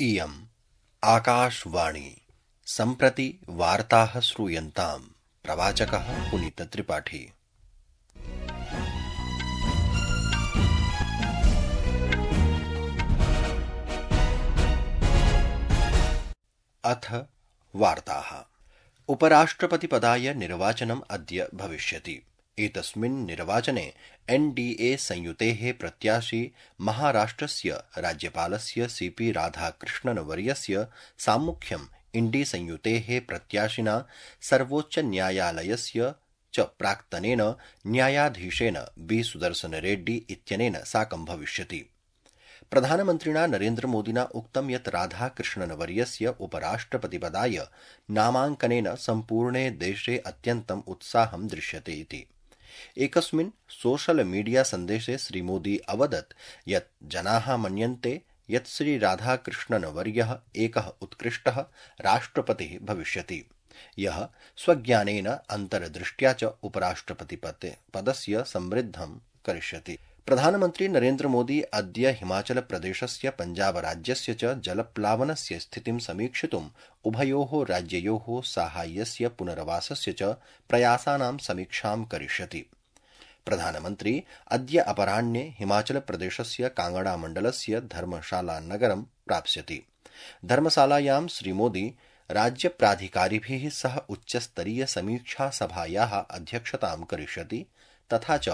इयम् आकाशवाणी सम्प्रति वार्ताः श्रूयन्ताम्। प्रवाचकः पुनीतत्रिपाठी। अथ वार्ताः। उपराष्ट्रपतिपदाय निर्वाचनम् अद्य भविष्यति। एतस्मिन् निर्वाचने एनडीए संयुतेः प्रत्याशी महाराष्ट्रस्य राज्यपालस्य सीपी राधाकृष्णनवर्यस्य साम्मुख्यम् इण्डी संयुतेः प्रत्याशिना सर्वोच्चन्यायालयस्य च प्राक्तनेन न्यायाधीशेन बी सुदर्शन रेड्डी इत्यनेन साकं भविष्यति। प्रधानमन्त्रिणा नरेन्द्रमोदिना उक्तं यत् राधाकृष्णनवर्यस्य उपराष्ट्रपतिपदाय नामाङ्कनेन सम्पूर्णे देशे अत्यन्तम् उत्साहं दृश्यते इति। एकस्मिन् सोशल मीडिया सन्देशे श्रीमोदी अवदत् यत् जनाः मन्यन्ते यत् श्री राधाकृष्णनवर्यः एकः उत्कृष्टः राष्ट्रपतिः भविष्यति, यः स्वज्ञानेन अन्तर्दृष्ट्या च उपराष्ट्रपतिपदस्य समृद्धं करिष्यति। प्रधानमन्त्री नरेन्द्र मोदी अद्य हिमाचल प्रदेशस्य पंजाब राज्यस्य च जलप्लावनस्य स्थितिं समीक्षितुम् उभयोः राज्ययोः साहाय्यस्य पुनर्वासस्य च प्रयासानां समीक्षां करिष्यति। प्रधानमन्त्री अद्य अपराह्ने हिमाचल प्रदेशस्य कांगड़ा मण्डलस्य धर्मशाला नगरं प्राप्स्यति। धर्मशालायां श्रीमोदी राज्यप्राधिकारिभिः सह उच्चस्तरीय समीक्षा सभायाः अध्यक्षतां करिष्यति तथा च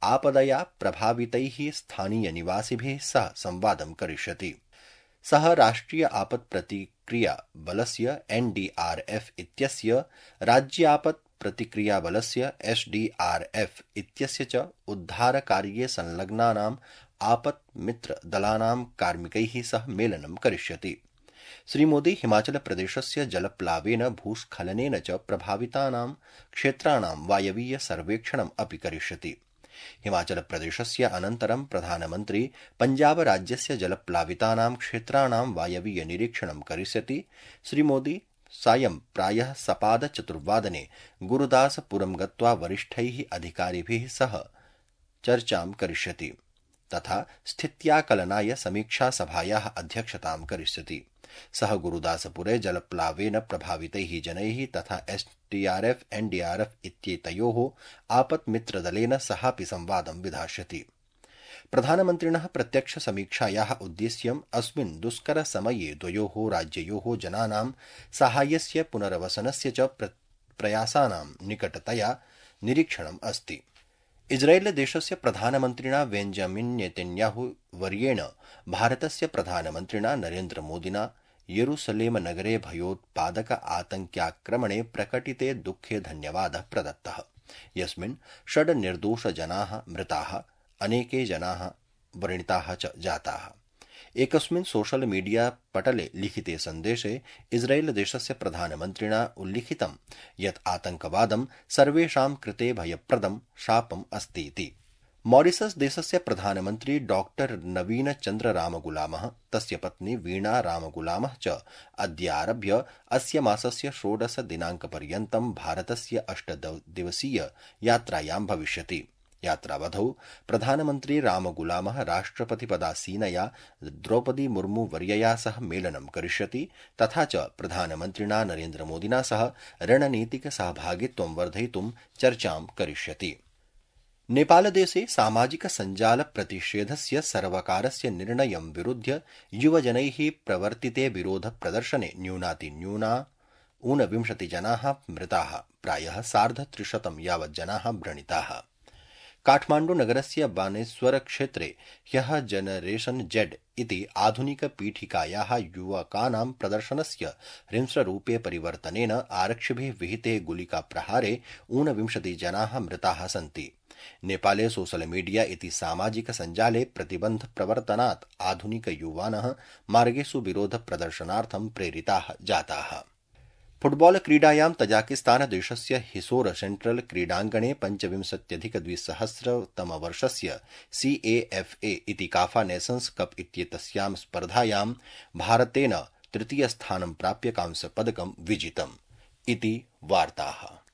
आपदया प्रभावितैः स्थानीय निवासिभिः सह संवादं करिष्यति। सः राष्ट्रिय आपत् प्रतिक्रिया बलस्य एनडीआरएफ इत्यस्य, राज्य आपत् प्रतिक्रिया बलस्य एसडीआरएफ इत्यस्य च उद्धारकार्ये संलग्नानां आपत् मित्र दलानां कार्मिकैः सह मेलनं करिष्यति। श्रीमोदी हिमाचल प्रदेशस्य जलप्लावेन भूस्खलनेन च प्रभावितानां क्षेत्राणां वायवीय सर्वेक्षणम् अपि करिष्यति। हिमाचल प्रदेशस्य अनन्तरं प्रधानमन्त्री पंजाब राज्यस्य जलप्लावितानां क्षेत्राणां वायवीय निरीक्षणं करिष्यति। श्रीमोदी सायं प्रायः सपाद 4 गुरुदासपुरं गत्वा वरिष्ठैः अधिकारिभिः सह चर्चां करिष्यति तथा स्थित्याकलनाय समीक्षा सभायाः अध्यक्षतां करिष्यति। सः गुरुदासपुरे जलप्लावेन प्रभावितैः जनैः तथा एसडीआरएफ एनडीआरएफ इत्येतयोः आपत्मित्रदलेन सहापि संवादं विधास्यति। प्रधानमन्त्रिणः प्रत्यक्ष समीक्षायाः उद्देश्यम् अस्मिन् दुष्कर समये द्वयोः राज्ययोः जनानां साहाय्यस्य पुनर्वसनस्य च प्रयासानां निकटतया निरीक्षणम् अस्ति। इस्राएल देशस्य प्रधानमन्त्रिणा बेंजामिन नेतन्याहू वर्येण भारतस्य प्रधानमन्त्रिणा नरेन्द्र मोदिना येरुसलेम नगरे भयोत्पादक आतङ्क्याक्रमणे प्रकटिते दुःखे धन्यवादः प्रदत्तः, यस्मिन् 6 निर्दोष जनाः मृताः, अनेके जनाः व्रणिताः च जाताः। एकस्मिन् सोशल मीडिया पटले लिखिते सन्देशे इस्राएल देशस्य प्रधानमन्त्रिणा उल्लिखितं यत् आतङ्कवादं सर्वेषां कृते भयप्रदं शापम् अस्ति इति। मॉरिशस देशस्य प्रधानमन्त्री डॉक्टर नवीन चन्द्र रामगुलामः, तस्य पत्नी वीणा रामगुलामः च अद्यारभ्य अस्य मासस्य 16 दिनाङ्कपर्यन्तं भारतस्य 8 दिवसीय यात्रायां भविष्यति। यात्रावधौ प्रधानमन्त्री रामगुलामः राष्ट्रपतिपदासीनया द्रौपदी मुर्मू वर्यया सह मेलनं करिष्यति तथा च प्रधानमन्त्रिणा नरेन्द्रमोदिना सह रणनीतिक सहभागित्वं वर्धयितुं चर्चां करिष्यति। नेपालदेशे सामाजिक सञ्जाल प्रतिषेधस्य सर्वकारस्य निर्णयं विरुध्य युवजनैः प्रवर्तिते विरोध प्रदर्शने न्यूनातिन्यूना 29 जनाः मृताः, प्रायः 350 यावत् जनाः व्रणिताः। काठमाण्डु नगरस्य बानेश्वर क्षेत्रे ह्यः जनरेशन जेड इति आधुनिकपीठिकायाः युवकानां प्रदर्शनस्य हिंस्ररूपे परिवर्तनेन आरक्षिभिः विहिते गुलिकाप्रहारे 29 जनाः मृताः सन्ति। नेपाले सोशल मीडिया इति सामाजिक सञ्जाले प्रतिबन्ध प्रवर्तनात् आधुनिकयुवानः मार्गेषु विरोध प्रदर्शनार्थं प्रेरिताः जाताः। फुटबॉल क्रीडायां तजाकिस्तान देशस्य हिसोर सेंट्रल क्रीडाङ्गणे 25-2000 CAFA इति काफा नेशन्स कप इत्येतस्यां स्पर्धायां भारतेन 3. स्थानं प्राप्य कांस्यपदकं विजितम् इति वार्ताः।